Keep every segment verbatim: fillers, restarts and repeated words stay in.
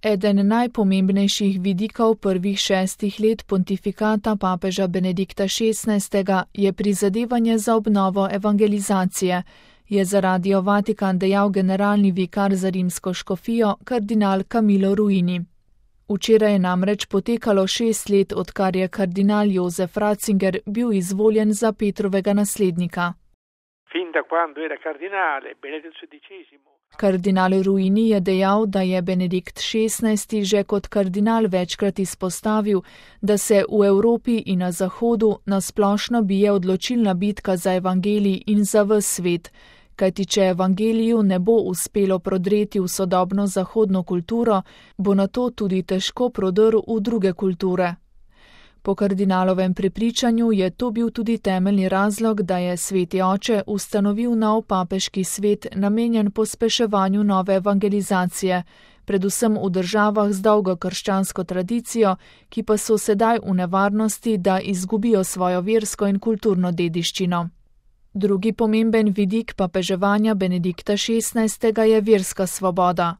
Eden najpomembnejših vidikov prvih šestih let pontifikata papeža Benedikta šestnajstega je prizadevanje za obnovo evangelizacije, je za Radio Vatikan dejal generalni vikar za rimsko škofijo kardinal Camillo Ruini. Včeraj je namreč potekalo šest let, odkar je kardinal Josef Ratzinger bil izvoljen za Petrovega naslednika. Fin da quando era cardinale, Benedetto sedicesimo. Kardinal Ruini je dejal, da je Benedikt šestnajsti že kot kardinal večkrat izpostavil, da se v Evropi in na Zahodu nasplošno bije odločilna bitka za evangelij in za ves svet, kajti če evangeliju ne bo uspelo prodreti v sodobno zahodno kulturo, bo nato tudi težko prodrl v druge kulture. Po kardinalovem prepričanju je to bil tudi temeljni razlog, da je sveti oče ustanovil nov papeški svet namenjen pospeševanju nove evangelizacije, predvsem v državah z dolgo krščansko tradicijo, ki pa so sedaj v nevarnosti, da izgubijo svojo versko in kulturno dediščino. Drugi pomemben vidik papeževanja Benedikta šestnajstega je verska svoboda.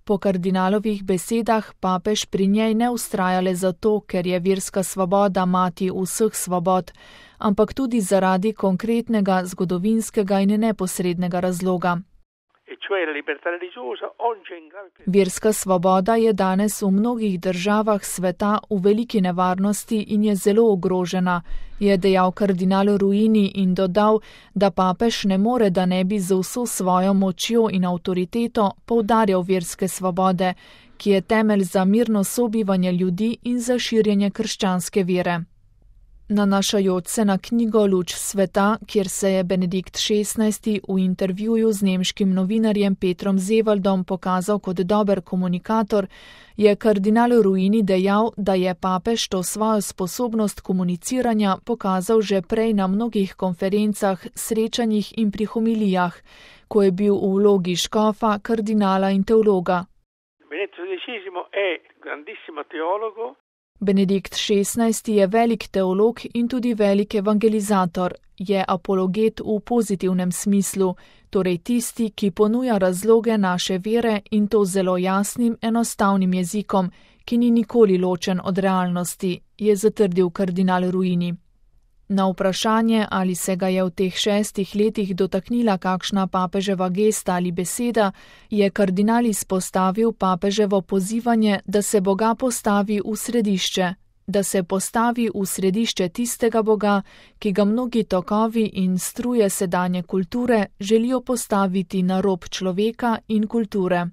Po kardinalovih besedah papež pri njej ne vztraja le zato, ker je verska svoboda mati vseh svobod, ampak tudi zaradi konkretnega, zgodovinskega in neposrednega razloga. Verska svoboda je danes v mnogih državah sveta v veliki nevarnosti in je zelo ogrožena, je dejal kardinal Ruini in dodal, da papež ne more, da ne bi z vso svojo močjo in avtoriteto poudarjal verske svobode, ki je temelj za mirno sobivanje ljudi in za širjenje krščanske vere. Nanašajoč se na knjigo Luč sveta, kjer se je Benedikt šestnajsti v intervjuju z nemškim novinarjem Petrom Zevaldom pokazal kot dober komunikator, je kardinal Ruini dejal, da je papež to svojo sposobnost komuniciranja pokazal že prej na mnogih konferencah, srečanjih in pri homilijah, ko je bil v vlogi škofa, kardinala in teologa. Benedikt šestnajsti je velik teolog in tudi velik evangelizator, je apologet v pozitivnem smislu, torej tisti, ki ponuja razloge naše vere in to zelo jasnim, enostavnim jezikom, ki ni nikoli ločen od realnosti, je zatrdil kardinal Ruini. Na vprašanje, ali se ga je v teh šestih letih dotaknila kakšna papeževa gesta ali beseda, je kardinal izpostavil papeževo pozivanje, da se Boga postavi v središče, da se postavi v središče tistega Boga, ki ga mnogi tokovi in struje sedanje kulture želijo postaviti na rob človeka in kulture.